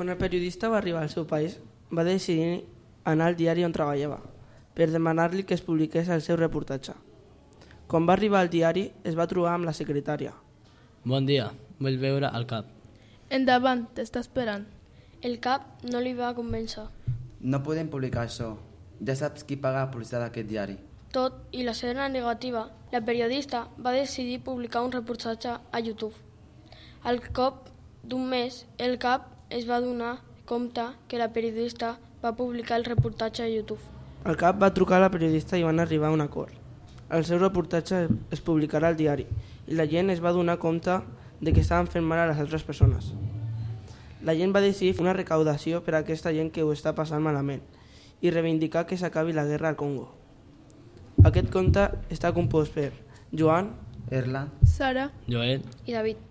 Quan el periodista va arribar al seu país, va decidir anar al diari on treballava, per demanar-li que es publiqués el seu reportatge. Quan va arribar al diari, es va trobar amb la secretària. Bon dia, vull veure el cap. Endavant, t'està esperant. El cap no li va convèncer. No podem publicar això. Ja saps qui paga la publicitat d'aquest diari. Tot i la seva negativa, la periodista va decidir publicar un reportatge a YouTube. Al cop d'un mes, el cap es va donar compte que la periodista va publicar el reportatge a YouTube. El cap va trucar a la periodista i van arribar a un acord. El seu reportatge es publicarà al diari i la gent es va donar compte de que estaven fent mal a les altres persones. La gent va decidir fer una recaudació per a aquesta gent que ho està passant malament i reivindicar que s'acabi la guerra al Congo. Aquest conte està compost per Joan, Erland, Sara, Joel, I David.